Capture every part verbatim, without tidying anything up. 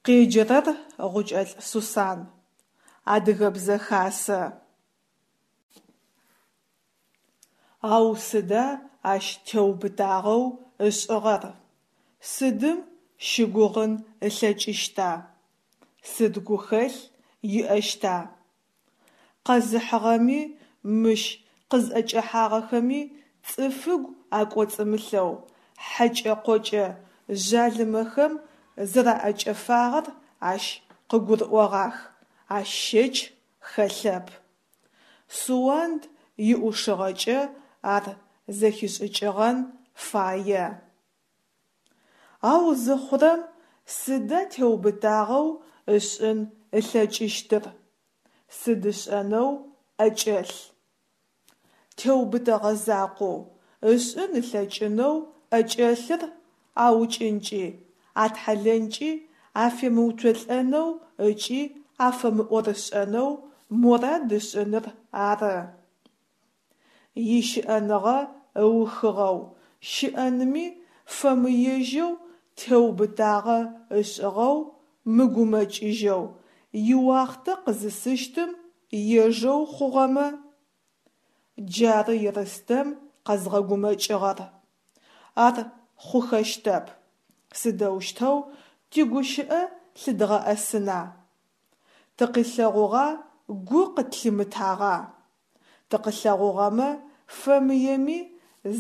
Къеджэрэр Гъукӏэлӏ Сусан. Адыгэбзэ хасэ. Ау сыда ащ теубытагъэу ышӏыгъэр, сыдым щыгугъын ылъэкӏыщта, сыд гухэлъ иӏэщта? Къэзыхьыгъэми, мыщ къызӏэкӏэхьагъэхэми цӏыфыгу акӏоцӏымылъэу хьэкӏэ-къокӏэ жъалымэхэм зэраӏэкӏэфагъэр ащ къыгурыӏогъах, ащ щэч хэлъэп. Суанд иӏушыгъэкӏэ ар зэхишӏыкӏыгъэн фае. Ау зыхъурэм сыда теубытагъэу ышӏын ылъэкӏыщтыр, сыд ышӏэнэу ӏэкӏэлъ? Теубытэгъэ закъоу ышӏын ылъэкӏынэу ӏэкӏэлъыр аукӏынкӏи, атхьалэнкӏи афемыуцолӏэнэу ыкӏи афэмыӏорышӏэнэу морад ышӏыныр ары. Ищыӏэныгъэ ыухыгъэу, щыӏэнми фэмыежьэу теубытагъэ ышӏыгъэу, мыгумэкӏыжьэу, иуахътэ къызысыщтым ежэу хъугъэмэ? Джары Ерстэм къэзгъэгумэкӏыгъэр. Ар хъухэщтэп. Сыдэущтэу тигущыӏэ лъыдгъэӏэсына? Тыкъилъэгъугъа, гу къытлъимытагъа? Тыкъылъэгъугъэмэ, фэмыеми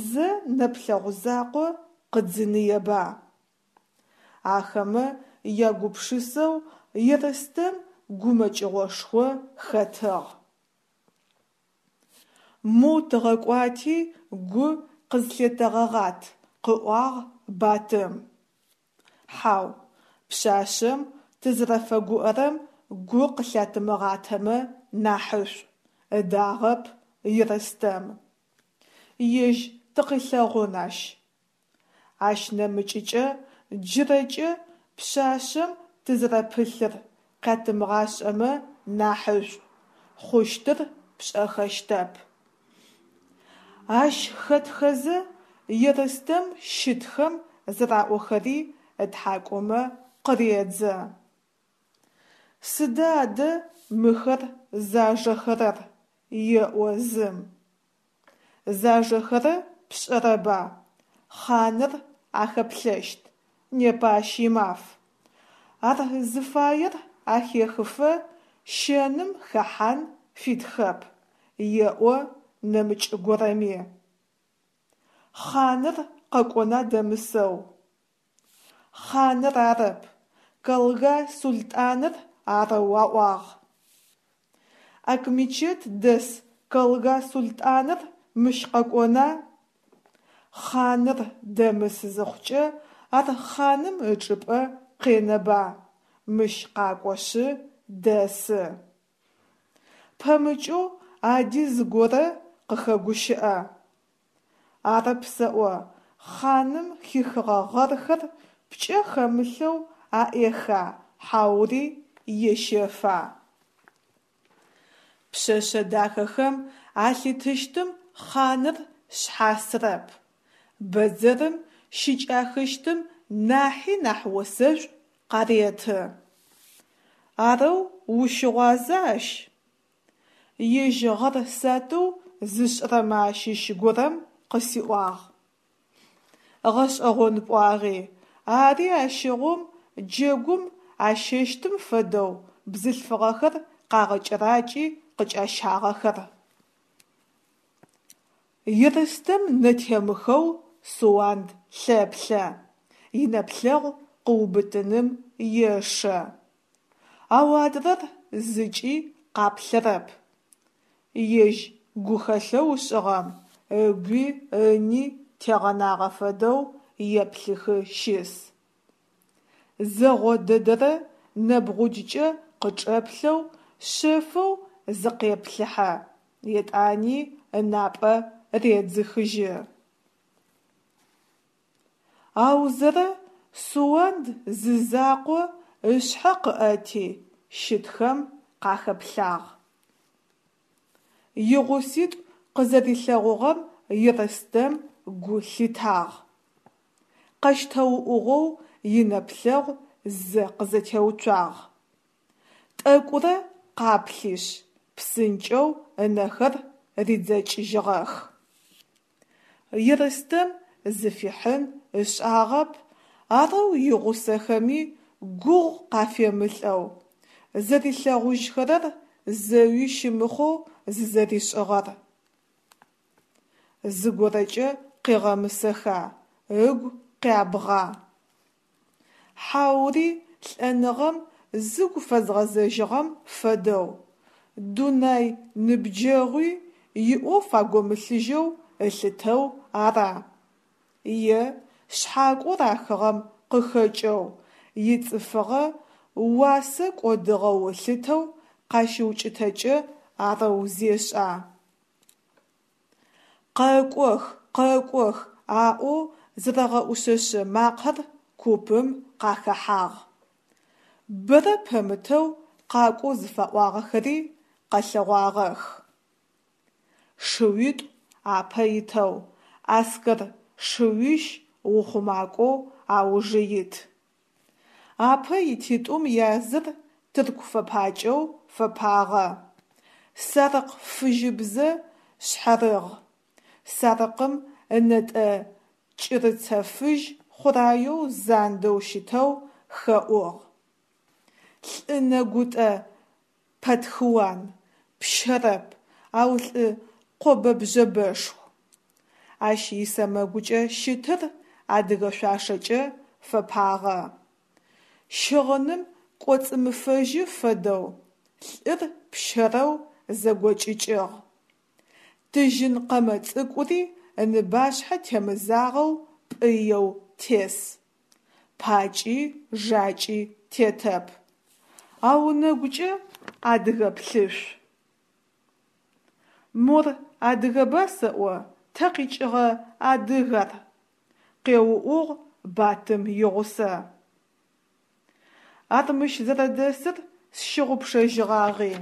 зэ нэплъэгъу закъо къыдзыныеба? Ахэмэ ягупшысэу Ерстэм гумэкӏыгъошхо хэтыгъ. Моу тыгъэкӏуати гу къызлъетэгъэгъат, къыӏуагъ Батым. Хьау, пшъашъэм тызэрэфэгуӏэрэм гу къылъятымыгъатэмэ нахьышӏу, ыдагъэп Ерстэм. Ежь тыкъилъэгъун ащ. Ащ нэмыкӏыкӏэ джырэкӏэ пшъашъэм тызэрэпылъыр къятымыгъашӏэмэ нахьышӏу, хъущтыр пшӏэхэщтэп. Ащ хэтхэзэ Ерстэм щытхэм зэраӏохэри ытхьакӏумэ къыредзэ. Сыда адэ мыхэр зажэхэрэр? Еӏо зым. Зажэхэрэ пшӏэрэба, хъаныр ахэплъэщт, непэ ащ имаф. Ар зыфаер ахехыфэ щэным хэхьан фитхэп, еӏо нэмыкӏ горэми. Хъаныр къэкӏона дэмысэу? Хъаныр арэп, калга султӏаныр арэу аӏуагъ. Акмечет дэс калга султӏаныр мыщ къэкӏона? Хъаныр дэмыс зыхъукӏэ ар хъаным ычӏыпӏэ къенэба, мыщ къакӏошъы дэсы. Пэмыкӏэу ади зыгорэ къыхэгущыӏэ. Арэп сэӏо, хъаным хихыгъэ гъэрхэр пкӏэ хэмылъэу аӏеха хьаури ещэфа? Пшъэшъэ дахэхэм алъитыщтым хъаныр шъхьасырэп, бэдзэрым щыкӏахыщтым нахьи нахь осэшӏу къареты. Арэу ущыгъуаза ащ? Ежь гъэр сатыу зышӏырэмэ ащыщ горэм къысиӏуагъ. Гъэшӏэгъон пӏуагъи, ари ащыгъум джэгум ащэщтым фэдэу бзылъфыгъэхэр къагъэкӏэракӏи къыкӏащагъэхэр. Ерстэм нэтемыхэу Суанд лъэплъэ, инэплъэгъу къыубытыным ешэ. Ау адрэр зыкӏи къаплъэрэп. Ежь гухэлъэу ышӏыгъэм ыгуи ыни тегъэнагъэ фэдэу еплъыхы щыс. Зэгъо дэдэрэ нэбгъуджкӏэ къычӏэплъэу шъэфэу зыкъеплъыхьэ, етӏани ынапӏэ редзыхыжьы. Аузэрэ Суанд зызакъо ышъхьэ къыӏэти щытхэм къахэплъагъ. Игъуситӏу къызэрилъэгъугъэм Ерстэм гу лъитагъ. Къэщтэуӏугъэу инэплъэгъу зэ къызэтеуцуагъ. Тӏэкӏурэ къаплъишъ, псынкӏэу ынэхэр ридзэкӏыжьыгъэх. Ерстэм зыфихьын ышӏагъэп арэу игъусэхэми гугъу къафемылӏэу, зэрилъэгъужьхэрэр зэуи щымыхъоу зызэришӏыгъэр. Зыгорэкӏэ къегъэмысэха, ыгу къябгъа? Хьаури лӏэныгъэм зыгу фэзгъэзэжьыгъэм фэдэу, дунай ныбджэгъуи иӏоф агомылъыжьэу ылъытэу ара? Е шъхьакӏоу рахыгъэм къыхэкӏэу, ицӏыфыгъэ уасэ кӏодыгъэу ылъытэу къащыукӏытэкӏэ арэу зешӏа? Къэкӏох, къэкӏох! Аӏоу зэрэгъэӏушъэшъэ макъэр купым къахэхьагъ. Бэрэ пэмытэу къакӏоу зыфаӏуагъэхэри къэлъэгъуагъэх. Шыуитӏу апэ итэу, аскэр шыуищ ухъумакӏоу аужы ит. Апэ ититӏум языр тырку фэпакӏэу фэпагъэ, сарыкъ фыжьыбзэ шъхьарыгъ, сарыкъым ынэтӏэ кӏырыцэ фыжь хъураеу зандэу щытэу хэӏугъ. Лӏы нэгутӏэ пэтхыуан, пщэрэп, ау лӏы къобэ-бжъэбэшху. Ащ исэмэгукӏэ щытыр адыгэ шъуашэкӏэ фэпагъэ. Щыгъыным кӏоцӏымыфэжьы фэдэу лӏыр пщэрэу зэгокӏыкӏыгъ. Тыжьын къэмэ цӏыкӏури ыныбашъхьэ темызагъэу пӏыеу тес. Пакӏи жакӏи тетэп, ау ынэгукӏэ адыгэ плъышъу. Мор адыгэба сэӏо, тэ къикӏыгъэ адыг ар? Къеуӏугъ Батым игъусэ. Ар мыщ зэрэдэсыр сщыгъупшэжьыгъагъи,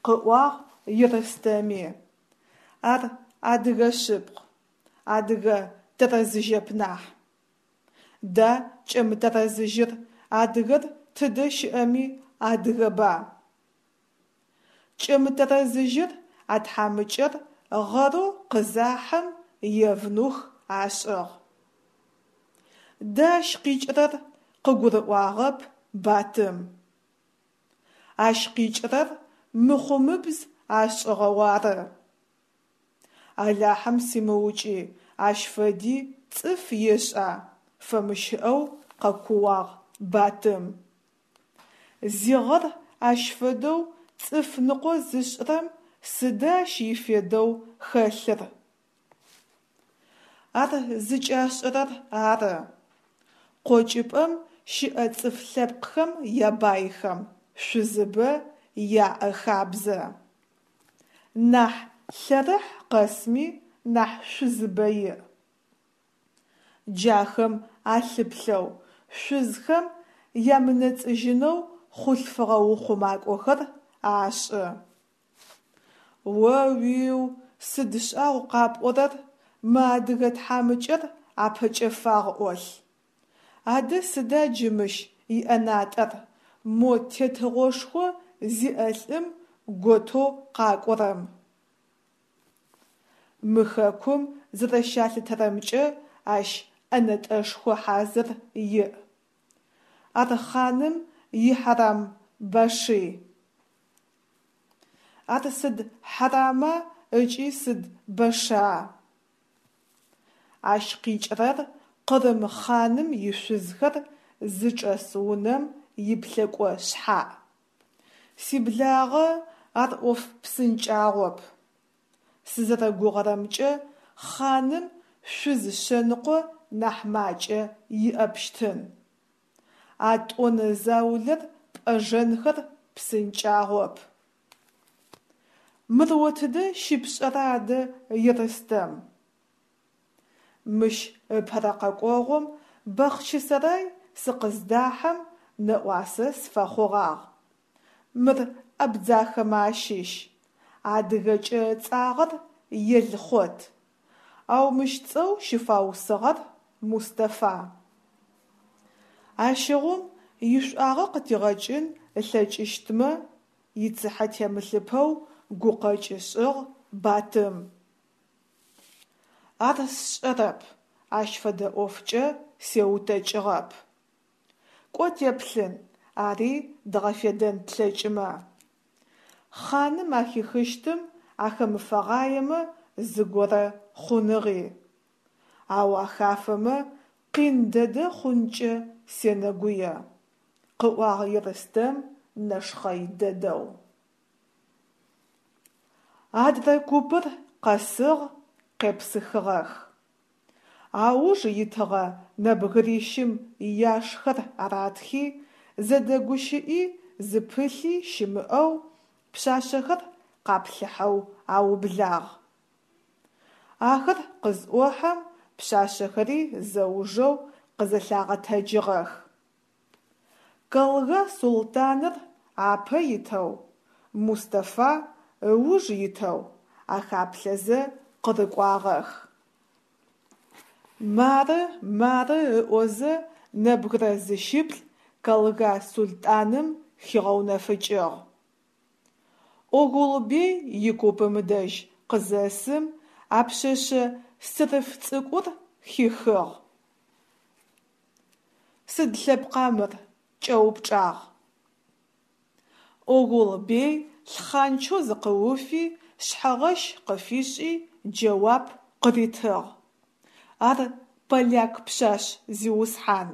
къыӏуагъ Ерстэми. Ар адыгэ шъыпкъ, адыгэ тэрэзыжьэп нахь. Да кӏэмытэрэзыжьыр адыгэр тыдэ щыӏэми адыгэба? Кӏэмытэрэзыжьыр а тхьамыкӏэр гъэрэу къызахьым евнух ашӏыгъ. Да ащ къикӏырэр? Къыгурыӏуагъэп Батым. Ащ къикӏырэр мыхъумыбз ашӏыгъэу ары. Алахьым симыукӏи, ащ фэди цӏыф ешӏа! Фэмыщыӏэу къэкууагъ Батым. Зигъэр ащ фэдэу цӏыф ныкъо зышӏырэм сыда ащ ифедэу хэлъыр? Ар зыкӏашӏэрэр ары. Къокӏыпӏэм щыӏэ цӏыф лъэпкъхэм ябайхэм шъузыбэ яӏэ хабзэ. Нахь лъэрыхь къэсми нахь шъузыбэ иӏ. Джахэм алъыплъэу, шъузхэм ямынэцӏыжьынэу хъулъфыгъэ ухъумакӏохэр ашӏы. О-уиу, сыд шӏагъу къапӏорэр, мы адыгэ тхьамыкӏэр апэкӏэфагъ ӏолъ. Адэ сыда джы мыщ иӏэнатӏэр, мо тетыгъошхо зиӏэ лӏым готэу къакӏорэм? Мы хэкум зэрэщалъытэрэмкӏэ ащ ӏэнэтӏэшхо хьазыр иӏ. Ар хъаным ихьарам-баши. Ар сыд хьарама ыкӏи сыд башиа? Ащ къикӏырэр къырым хъаным ишъузхэр зычӏэс унэм иплъэкӏо шъхьаӏ. Сиблагъэ, ар ӏоф псынкӏагъоп. Сызэрэгугъэрэмкӏэ, хъаным шъуз шъэныкъо нахь макӏэ иӏэпщтын. А тӏонэ заулэр пӏэжэнхэр псынкӏагъоп. Мыр о тыдэ щыпшӏэра адэ, Ерстэм? Мыщ ыпэрэ къэкӏогъум Бахъчысэрай сыкъыздахьэм нэӏуасэ сыфэхъугъагъ. Мыр абдзахэмэ ащыщ, адыгэкӏэ ыцӏагъэр Елхъот, ау мыщ цӏэу щыфаусыгъэр Мустафа. Ащыгъум Ишӏуагъэ къытигъэкӏын ылъэкӏыщтмэ? – ицыхьэ темылъыпэу гукъэкӏ ышӏыгъ Батым. Ар сшӏэрэп, ащ фэдэ ӏофкӏэ сеутэкӏыгъэп. Кӏо теплъын, ари дгъэфедэн тлъэкӏымэ. Хъаным ахихыщтым ахэмыфэгъаемэ зыгорэ хъуныгъи. Ау ахафэмэ къин дэдэ хъункӏэ сенэгуе, – къыӏуагъ Ерстэм нэшхъэй дэдэу. Адрэ купыр къэсыгъ, къепсыхыгъэх. Ауж итыгъэ нэбгырищым яшхэр аратхи, зэдэгущыӏи зыпылъи щымыӏэу пшъашъэхэр къаплъыхьэу аублагъ. Ахэр къызӏохьэм пшъашъэхэри зэужэу къызэлъагъэтэджыгъэх. Калга султӏаныр апэ итэу, Мустафа ыуж итэу ахаплъэзэ къырыкӏуагъэх. Мары, мары ыӏозэ нэбгырэ зыщыплӏ калга султӏаным хигъэунэфыкӏыгъ. Огъулбей икупым дэжь къызэсым а пшъэшъэ сырыф цӏыкӏур хихыгъ. Сыд лъэпкъа мыр? – кӏэупчӏагъ. Огъул-бей лъхъанчэу зыкъыуфи, шъхьэгъэщ къыфишӏи джэуап къыритыгъ: Ар поляк пшъашъ, зиусхьан.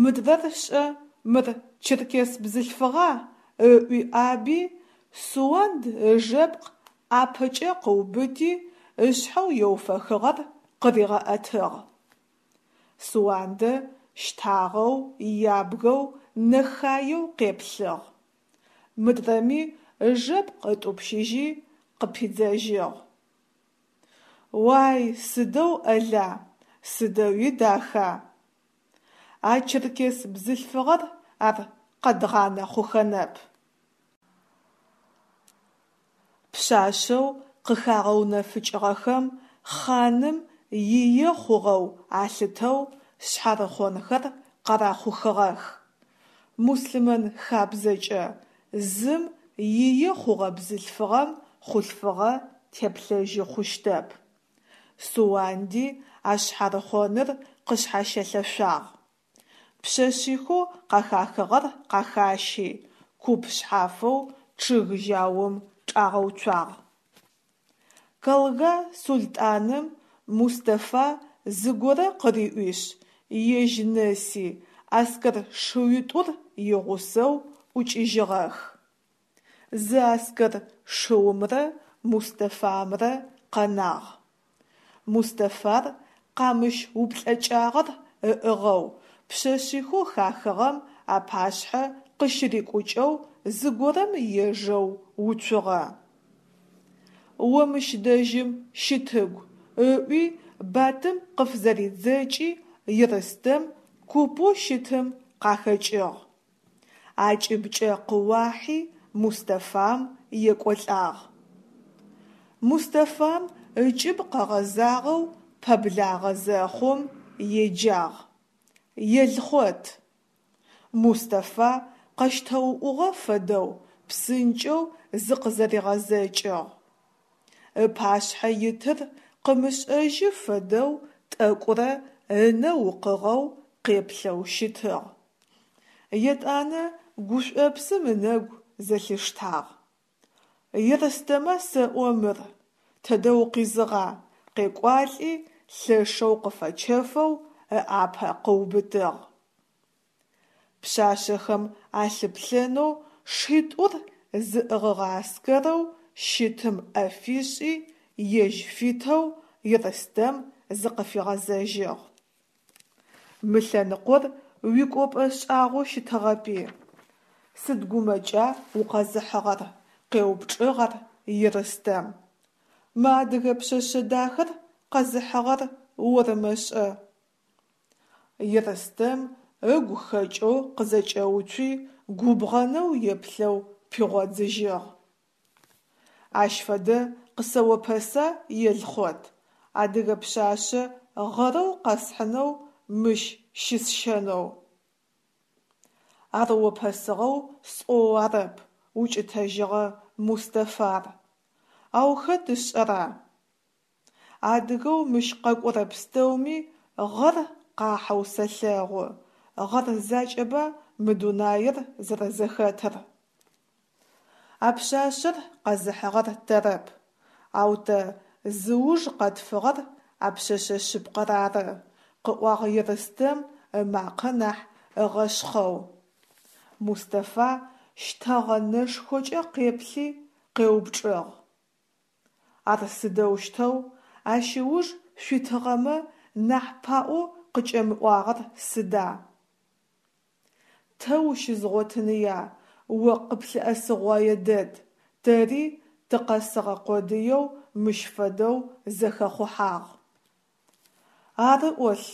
Мыдрэр шӏэ, мыр черкес бзылъфыгъа? – ыӏуи ӏаби, Суанд ыжэпкъ ӏапэкӏэ къыубыти, ышъхьэу еуфэхыгъэр къыригъэӏэтыгъ. Суандэ щтагъэу, ябгэу, нэхаеу къеплъыгъ. Мыдрэми ыжэпкъ ытӏупщыжьи, къыпидзэжьыгъ: Уай, сыдэу ӏэла, сыдэуи даха! А черкес бзылъфыгъэр ар къэдгъанэ хъухэнэп. Пшъашъэу къыхагъэунэфыкӏыгъэхэм хъаным ие хъугъэу алъытэу шъхьарыхъонхэр къарахъухыгъэх. Муслъымэн хабзэкӏэ, зым ие хъугъэ бзылъфыгъэм хъулъфыгъэ теплъэжьы хъущтэп. Суанди а шъхьарыхъоныр къышъхьащылъэшъуагъ. Пшъэшъихэу къахахыгъэр къахащи, куп шъхьафэу чъыг жьаум чӏагъэуцуагъ. Калга султӏаным Мустафа зыгорэ къыриӏуишъ, ежь нэси аскэр шыуитӏур игъусэу ӏукӏыжьыгъэх. Зы аскэр шыумрэ Мустафамрэ къэнагъ. Мустафар къамыщ уплӏэкӏагъэр ыӏыгъэу пшъэшъихэу хахыгъэм апашъхьэ къыщырикӏукӏэу зыгорэм ежэу уцугъэ. О мыщ дэжьым щытыгу, – ыӏуи Батым къыфызэридзэкӏи Ерстэм купэу щытым къахэкӏыгъ. Акӏыбкӏэ къыуахьи Мустафам екӏолӏагъ. Мустафам ыкӏыб къэгъэзагъэу пэблагъэ зэхъум еджагъ: «Елхъот!». Мустафа къэщтэуӏугъэ фэдэу псынкӏэу зыкъызэригъэзэкӏыгъ. Ыпашъхьэ итыр къымышӏэжьы фэдэу тӏэкӏурэ ынэ укъыгъэу къеплъэу щытыгъ. Етӏанэ гушӏопсым ынэгу зэлъиштагъ. «Ерстэма сэӏо мыр? Тэдэ укъизыгъа?» – къекӏуалӏи лъэшэу къыфэчэфэу ыӏапэ къыубытыгъ. Пшъашъэхэм алъыплъэнэу шитӏур зыӏыгъыгъэ аскэрэу щытым ӏэ фишӏи, ежь фитэу Ерстэм зыкъыфигъэзэжьыгъ: «Мы лъэныкъор уикӏопӏэ шӏагъоу щытыгъэпи? Сыд гумэкӏа укъэзыхьыгъэр? – къеупчӏыгъ ар Ерстэм. Мы адыгэ пшъэшъэ дахэр къэзыхьыгъэр ормэ шӏэ? Ерстэм ыгу хэкӏэу къызэкӏэуцуи, губгъэнэу еплъэу пигъодзыжьыгъ: Ащ фэдэ къысэопэса, Елхъот, адыгэ пшъашъэ гъэрэу къэсхьынэу мыщ щысщэнэу? Ар опэсыгъэу сӏоу арэп, – укӏытэжьыгъэ Мустафар. Ау хэт ышӏэра? Адыгэу мыщ къэкӏорэ пстэуми гъэр къахьэу сэлъэгъу, гъэр закӏэба мы дунаир зэрэзэхэтыр. А пшъашъэр къэзыхьыгъэр тэрэп, ау тэ зыуж къэтфыгъэр а пшъэшъэ шъыпкъэр ары, – къыӏуагъ Ерстэм ымакъэ нахь ыгъэшъхъэу. Мустафа щтэгъэ нэшхокӏэ къеплъи къеупчӏыгъ: «Ар сыдэущтэу, ащ ыуж шъуитыгъэмэ нахь паӏоу къыкӏэмыӏуагъэр сыда?» Тэ ущызгъотыныя, о къыплъыӏэсыгъое дэд, тэри тыкъэсыгъэ къодыеу мыщ фэдэу зэхэхъухьагъ. Ары ӏолъ,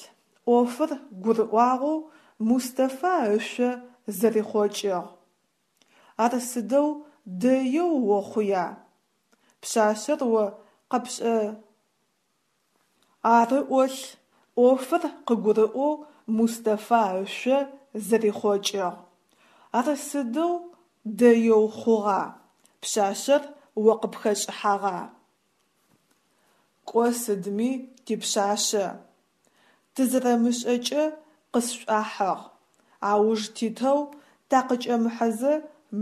ӏофыр гурыӏуагъэу Мустафа ышъо зэрихъокӏыгъ. Ар сыдэу дэеу охъуя? Пшъашъэр о къэпшӏэ. Ары ӏолъ, ӏофыр къыгурыӏоу Мустафа ышъо зэрихъокӏыгъ. Ар сыдэу дэеу хъугъа? Пшъашъэр о къыпхэшӏыхьагъа? Кӏо сыдми типшъашъэ. Тызэрэмышӏэкӏэ къысшӏуахьыгъ. Ауж титэу такъыкӏэмыхьэзэ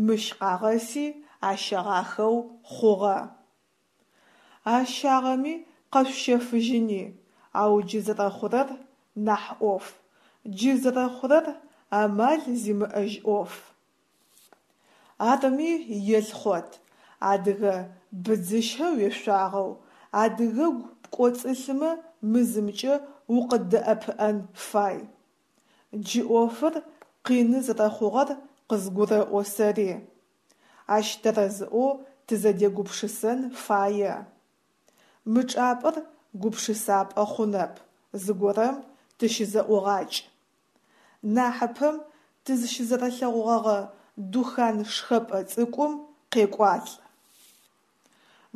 мыщ къагъэси ащэгъахэу хъугъэ. Ащагъэми къэшъущэфыжьыни, ау джы зэрэхъурэр нахь ӏоф, джы зэрэхъурэр амал зимыӏэжь ӏоф. Арми, Елхъот, адыгэ быдзыщэ уешъуагъэу, адыгэгу пкӏоцӏылъымэ мы зымкӏэ укъыддэӏэпыӏэн фай. Джы ӏофыр къины зэрэхъугъэр къызгурэӏо сэри. Ащ тэрэзыӏоу тызэдегупшысэн фае. Мы чӏыпӏэр гупшысапӏэ хъунэп, зыгорэм тыщызэӏугъакӏ. Нахьыпэм тызщызэрэлъэгъугъэгъэ духан шхэпӏэ цӏыкӏум къекӏуалӏ.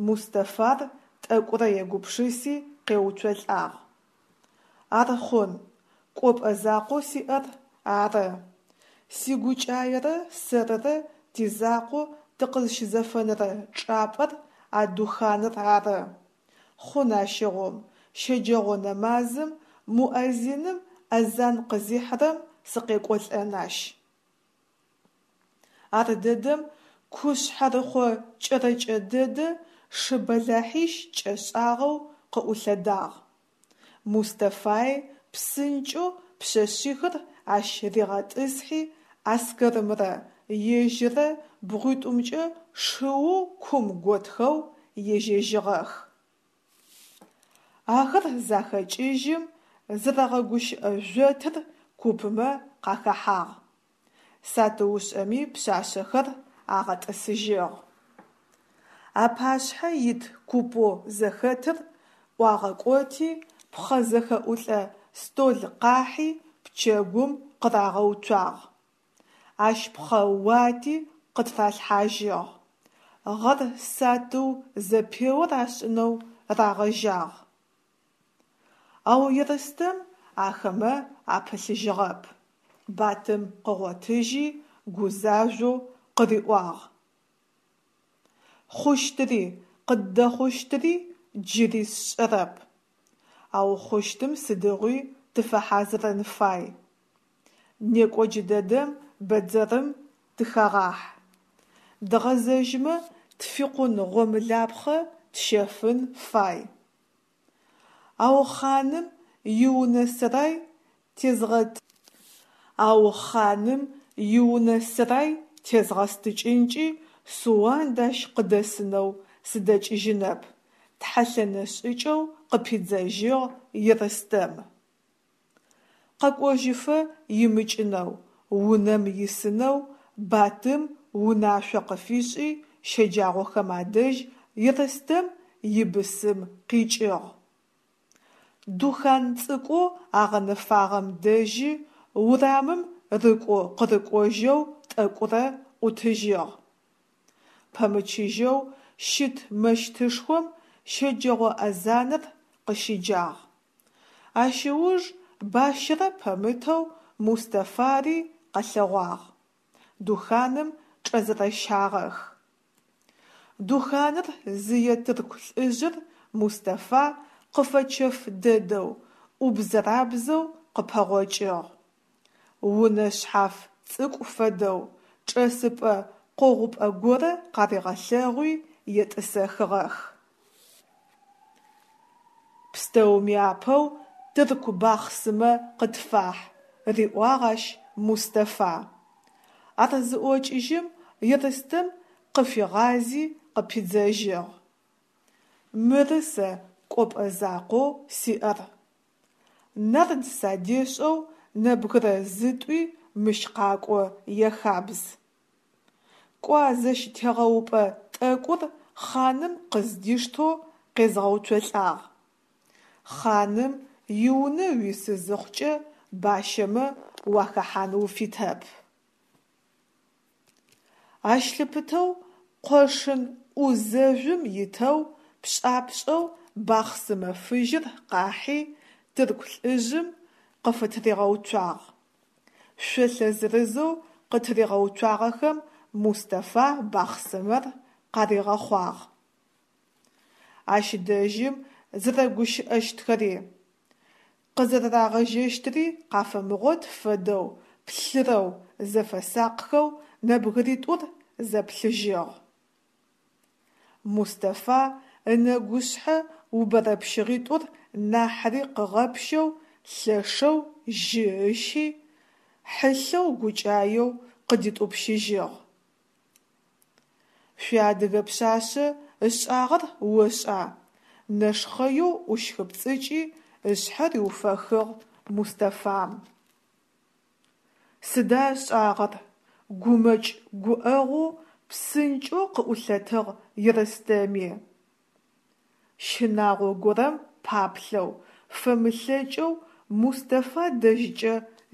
Мустафар тӏэкӏурэ егупшыси къеуцолӏагъ: Ар хъун, кӏопӏэ закъоу сиӏэр ары. Сигукӏаерэ сэрырэ тизакъоу тыкъызщызэфэнэрэ чӏапӏэр а духаныр ары. Хъун ащыгъум, щэджэгъо нэмазым муэзиным азан къызихьырэм сыкъекӏолӏэн ащ. Ардэдэм ку шъхьэрыхъо кӏэрэкӏэ дэдэ шы бэлахьищ кӏэшӏагъэу къыӏулъэдагъ. Мустафаи псынкӏэу пшъэшъихыр ащ ригъэтӏысхьи аскэрымрэ ежьыррэ бгъуитӏумкӏэ шыу кум готхэу ежьэжьыгъэх. Ахэр захэкӏыжьым, зэрэгъэгущыӏэ жъотыр купмэ къахэхьагъ. Сатыушӏэми пшъашъэхэр агъэтӏысыжьыгъ. Апашъхьэ ит купэу зэхэтыр ӏуагъэкӏоти, пхъэ зэхэӏулӏэ стол къахьи пчэгум къырагъэуцуагъ. Ащ пхъэ уати къытыралъхьажьыгъ. Гъэр сатыу зэпеор ашӏынэу рагъэжьагъ. Ау Ерстэм ахэмэ апылъыжьыгъэп. Батым къыгъотыжьи, гузажъоу къыриӏуагъ: «Хъущтыри къыддэхъущтыри джыри сшӏэрэп, ау хъущтым сыдигъуи тыфэхьазырын фай. Некӏо джыдэдэм бэдзэрым тыхэгъахь. Дгъэзэжьмэ тфикъун гъомлапхъэ тщэфын фай». Ау хъаным иунэ-сэрай тезгъэт. Ау хъаным иунэ-сэрай тезгъэстыкӏынкӏи Суанд ащ къыдэсынэу сыдэкӏыжьынэп, тхьэлъэнэ шӏыкӏэу къыпидзэжьыгъ Ерстэм. Къэкӏожьыфэ имыкӏынэу, унэм исынэу Батым унашъо къыфишӏи, щэджагъохэм адэжь Ерстэм ибысым къикӏыгъ. Духан цӏыкӏоу агъэнэфагъэм дэжьи, урамым рыкӏо-къырыкӏожьэу тӏэкӏурэ ӏутыжьыгъ. Пэмычыжьэу щыт мэщытышхом щэджэгъо азанэр къыщиджагъ. Ащ ыуж бащэрэ пэмытэу Мустафари къэлъэгъуагъ. Духаным чӏэзэрэщагъэх. Духаныр зые тырку лӏыжъыр Мустафа къыфэчэф дэдэу, ӏубзэрабзэу къыпэгъокӏыгъ. Унэ шъхьаф цӏыкӏу фэдэу, чӏэсыпӏэ къогъупӏэ горэ къаригъэлъэгъуи, етӏысэхыгъэх. Пстэуми апэу тырку бахъсымэ къытфахь, – риӏуагъ ащ Мустафа. Ар зыӏокӏыжьым, Ерстэм къыфигъази къыпидзэжьыгъ: Мыры сэ кӏопӏэ закъоу сиӏэр. Нард садешӏэу нэбгырэ зытӏуи мыщ къакӏо яхабз. Кӏо а зэщтегъэупӏэ тӏэкӏур хъаным къыздиштэу къезгъэуцолӏагъ. Хъаным иунэ уисы зыхъукӏэ бащэмэ уахэхьан уфитэп. Ащ лъыпытэу къошын ӏу зэжъум итэу пшӏапшӏэу бахъсымэ фыжьыр къахьи тырку лӏыжъым къыфытыригъэуцуагъ. Шъолъэ зырызэу къытыригъэуцуагъэхэм Мустафа бахъсымэр къаригъэхъуагъ. Ащ дэжьым зэрэгущыӏэщтхэри, къызэрэрагъэжьэщтыри къафэмыгъот фэдэу плъырэу, зэфэсакъхэу нэбгыритӏур зэплъыжьыгъ. Мустафа ынэгушъхьэ убэрэпщыгъитӏур нахьыри къыгъэпщэу лъэшэу жьы ыщи, хьылъэу гукӏаеу къыдитӏупщыжьыгъ: Шъуиадыгэ пшъашъэ ышӏагъэр ошӏа? – нэшхъэеу ӏущхыпцӏыкӏи, ышъхьэ риуфэхыгъ Мустафам. Сыда ышӏагъэр? – Гумэкӏ-гуӏэгъоу псынкӏэу къыӏулъэтыгъ Ерстэми. Щынагъо горэм паплъэу, фэмылъэкӏэу Мустафа дэжькӏэ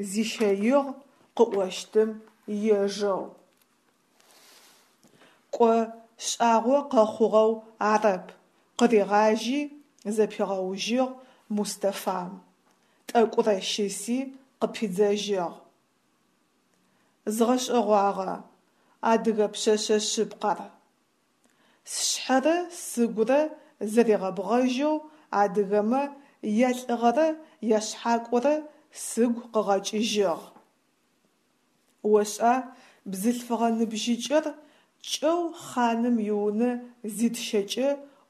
зищэигъ, къыӏощтым ежэу. Кӏо шӏагъо къэхъугъэу арэп, – къыригъажьи, зэпигъэужьыгъ Мустафам, тӏэкӏурэ щыси къыпидзэжьыгъ. Згъэшӏэгъуагъэ адыгэ пшъэшъэ шъыпкъэр. Сшъхьэрэ сыгурэ зэригъэбгъэжьэу адыгэмэ ялӏыгъэрэ яшъхьакӏорэ сыгу къыгъэкӏыжьыгъ. Ошӏа, бзылъфыгъэ ныбжьыкӏэр кӏэу хъаным иунэ зитщэкӏэ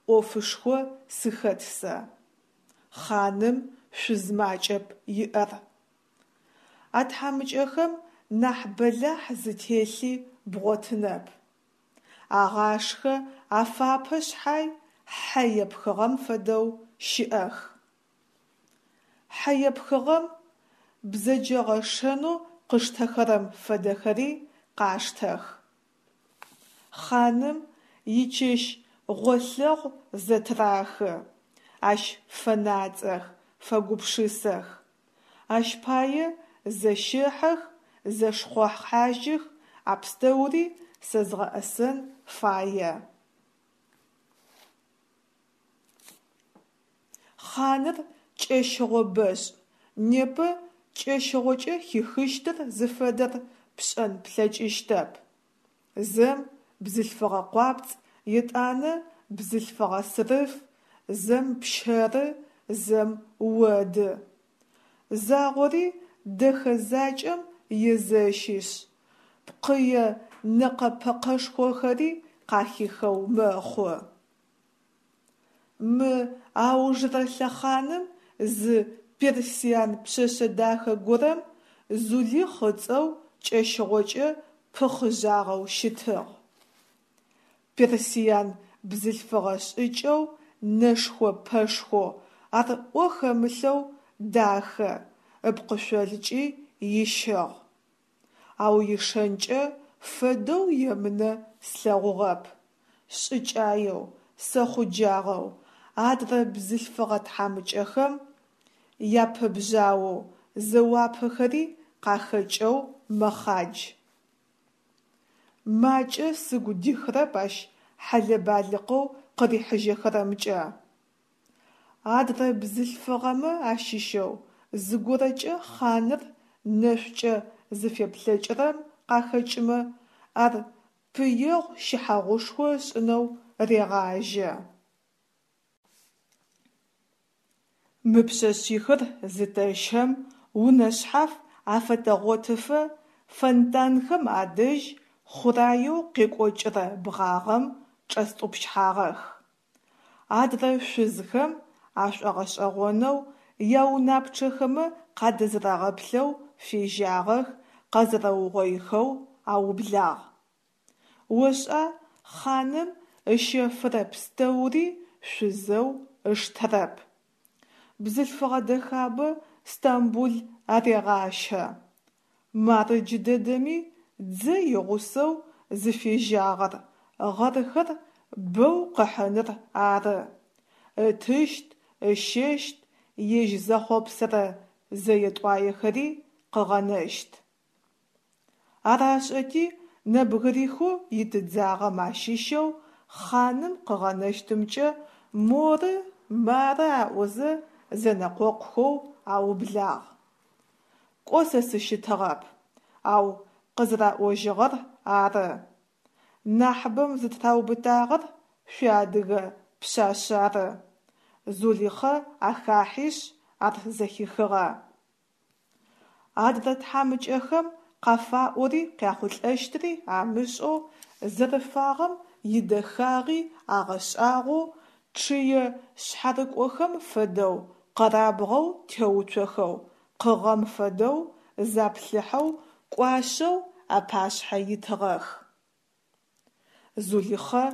ӏофышхо сыхэт сэ. Хъаным шъуз макӏэп иӏэр. А тхьамыкӏэхэм нахь бэлахь зытелъи бгъотынэп. Агъашхэ, афапэ шъхьай, хьэ епхыгъэм фэдэу щыӏэх. Хьэ епхыгъэм бзэджэгъэ шэнэу къыштэхэрэм фэдэхэри къаштэх. Хъаным ичэщ гъолъэгъу зэтырахы, ащ фэнацӏэх, фэгупшысэх. Ащ пае зэщэхьэх, зэшхъохьажьых, а пстэури сэ згъэӏэсэн фае. Хъаныр кӏэщыгъо бэшӏ, непэ кӏэщыгъокӏэ хихыщтыр зыфэдэр пшӏэн плъэкӏыщтэп. Зэм бзылъфыгъэ къуапцӏ, етӏанэ бзылъфыгъэ сырыф, зэм пщэры, зэм оды. Загъори дэхэ закӏэм езэщышъ, пкъые нэкъэ-пэкъэшхохэри къахихэу мэхъу. Мы аужрэ лъэхъаным зы персиан пшъэшъэ дахэ горэм Зулихъ ыцӏэу кӏэщыгъокӏэ пыхъыжъагъэу щытыгъ. Персиан бзылъфыгъэ шӏыкӏэу, нэшхо-пэшхоу, ар ӏо хэмылъэу дахэ, ыпкъышъолкӏи ищыгъ. Ау ишэнкӏэ фэдэу емынэ слъэгъугъэп. Шӏыкӏаеу, сэхъуджагъэу, адрэ бзылъфыгъэ тхьамыкӏэхэм япэбжъаоу, зэуапэхэри къахэкӏэу мэхъадж. Макӏэ сыгу дихрэп ащ хьэлэ-балыкъэу къырихьыжьэхэрэмкӏэ. Адрэ бзылъфыгъэмэ ащыщэу зыгорэкӏэ хъаныр нэшӏукӏэ зыфеплъэкӏырэм къахэкӏымэ, ар пыегъу-щыхьэгъушхо ышӏынэу регъажьэ. Мы пшъэшъихыр зытэщэм, унэ шъхьаф афэтэгъотыфэ фонтанхэм адэжь хъураеу къекӏокӏырэ бгъагъэм чӏэстӏупщхьагъэх. Адрэ шъузхэм ашӏогъэшӏэгъонэу яунапчъэхэмэ къадэзэрэгъэплъэу фежьагъэх, къэзэрэугъоихэу аублагъ. Ошӏа, хъаным ыщэфырэ пстэури шъузэу ыштэрэп. Бзылъфыгъэ дэхабэ Стамбул арегъащэ. Мары джыдэдэми дзэ игъусэу зыфежьагъэр гъэрхэр бэу къыхьыныр ары. Ытыщт, ыщэщт, ежь зэхъопсэрэ зэе-тӏуаехэри къыгъэнэщт. Ар ашӏэти нэбгырихэу итыдзагъэм ащыщэу хъаным къыгъэнэщтымкӏэ моры, мары аӏозэ зэнэкъокъухэу аублагъ. Кӏо сэ сыщытыгъэп, ау къызэраӏожьыгъэр ары. Нахьыбэм зытыраубытагъэр шъуиадыгэ пшъашъ ары, Зулихъэ ахахьишъ ар зэхихыгъэ. Адрэ тхьамыкӏэхэм къафаӏори къяхъулӏэщтыри амышӏэу, зэрыфагъэм идэхагъи агъэшӏагъоу, чъые шъхьарыкӏохэм фэдэу къэрабгъэу теуцохэу, къыгъэм фэдэу заплъыхьэу кӏуашъэу апашъхьэ итыгъэх. Зулихъэ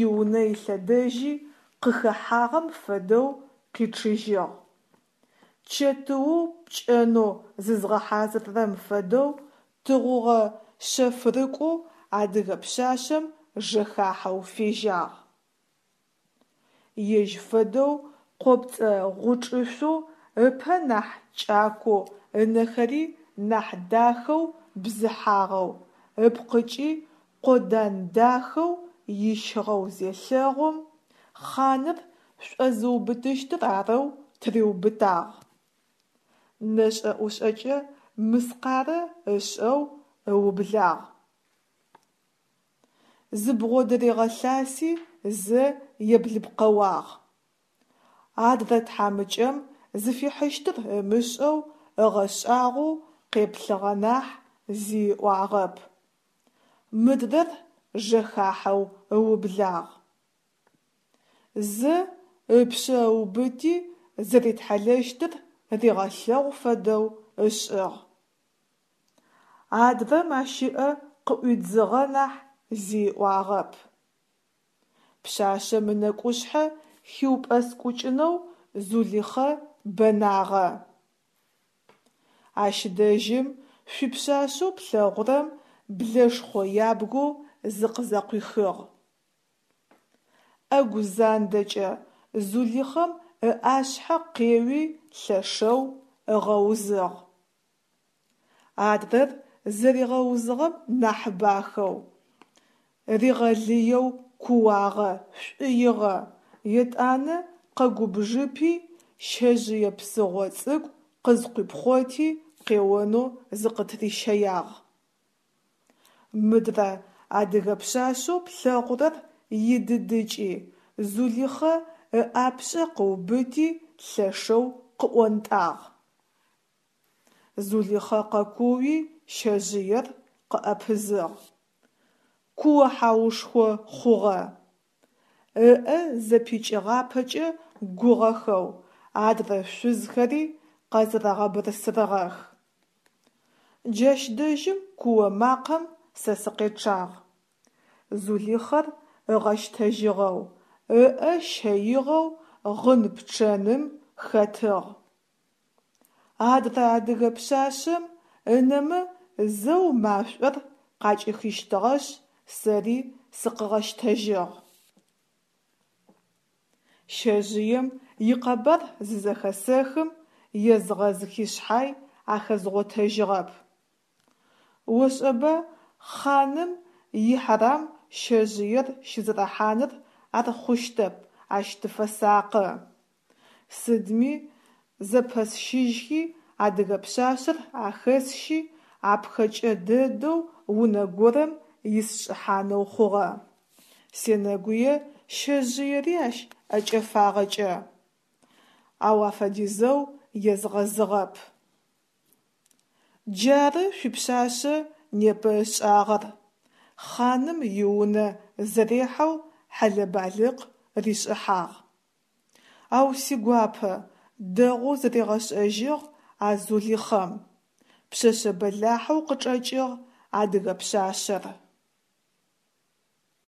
иунэ илъэдэжьи къыхэхьагъэм фэдэу къичъыжьыгъ. Чэтыу пкӏэнэу зызгъэхьазыррэм фэдэу тыгъугъэ шъэфрыкӏоу адыгэ пшъашъэм жэхахьэу фежьагъ. Ежь фэдэу къопцӏэ гъучӏышъоу, ыпэ нахь кӏакоу, ынэхэри нахь дахэу бзыхьагъэу, ыпкъыкӏи къодан дахэу ищыгъэу зелъэгъум, хъаныр шӏозыубытыщтыр арэу тыриубытагъ. Нэшӏэ-ӏушӏэкӏэ мыскъарэ ышӏэу ыублагъ. Зыбгъодыригъэлъаси зэ еблыпкъэуагъ. Адрэ тхьамыкӏэм зыфихьыщтыр ымышӏэу ыгъэшӏагъоу къеплъыгъэ нахь зи ыӏуагъэп. Мыдрэр жэхахьэу ыублагъ. Зэ ыпшъэ ыубыти зэритхьалэщтыр ригъэлъэгъу фэдэу ышӏыгъ. Адрэм ащ ыӏэ къыӏуидзыгъэ нахь зи ыӏуагъэп. Пшъашъэм ынэкӏушъхьэ хиупӏэскӏукӏынэу Зулихъэ бэнагъэ. Ащ дэжьым шъуипшъашъэу плъэгъурэм блэшхъо ябгэу зыкъызэкъуихыгъ. Ӏэгу зандэкӏэ Зулихъэм ыӏашъхьэ къеуи лъэшэу ыгъэузыгъ. Адрэр зэригъэузыгъэм нахь бахэу, ригъэлыеу кууагъэ, шӏуигъэ, етӏанэ къэгубжыпи щэжъые псыгъо цӏыкӏу къызкъуипхъоти къеонэу зыкъытырищэягъ. Мыдрэ адыгэ пшъашъэу плъэгъурэр идыдыкӏи, Зулихъэ ыӏапшӏэ къыубыти лъэшэу къыӏонтӏагъ. Зулихъэ къэкууи щэжъыер къыӏэпызыгъ. Куо-хьаушхо хъугъэ. Ыӏэ зэпикӏыгъапэкӏэ гугъэхэу адрэ шъузхэри къэзэрэгъэбырсырыгъэх. Джащ дэжьым куо макъэм сэ сыкъечъагъ. Зулихъэр ыгъэщтэжьыгъэу, ыӏэ щэигъэу гъын-пчъэным хэтыгъ. Адрэ адыгэ пшъашъэм ынэмэ зэу машӏор къакӏихыщтыгъэшъ, сэри сыкъыгъэщтэжьыгъ. Щэжъыем икъэбар зызэхэсэхым езгъэзыхи шъхьай ахэзгъотэжьыгъэп. Ошӏэба хъаным ихьарам щэжъыер щызэрахьаныр ар хъущтэп, ащ тыфэсакъы. Сыдми зэпэсщыжьхи адыгэ пшъашъэр ахэсщи Апхэкӏэ дэдэу унэ горэм исшӏыхьанэу хъугъэ. Сенэгуе щэжъыери ащ ӏэкӏэфагъэкӏэ, ау афэдизэу езгъэзыгъэп. Джары шъуипшъашъэ непэ ышӏагъэр, хъаным иунэ зэрехьэу хьэлэ-балыкъ ришӏыхьагъ. Ау сигуапэ, дэгъоу зыригъэшӏэжьыгъ а Зулихъэм. Пшъэшъэ бэлахьэу къычӏэкӏыгъ адыгэ пшъашъэр.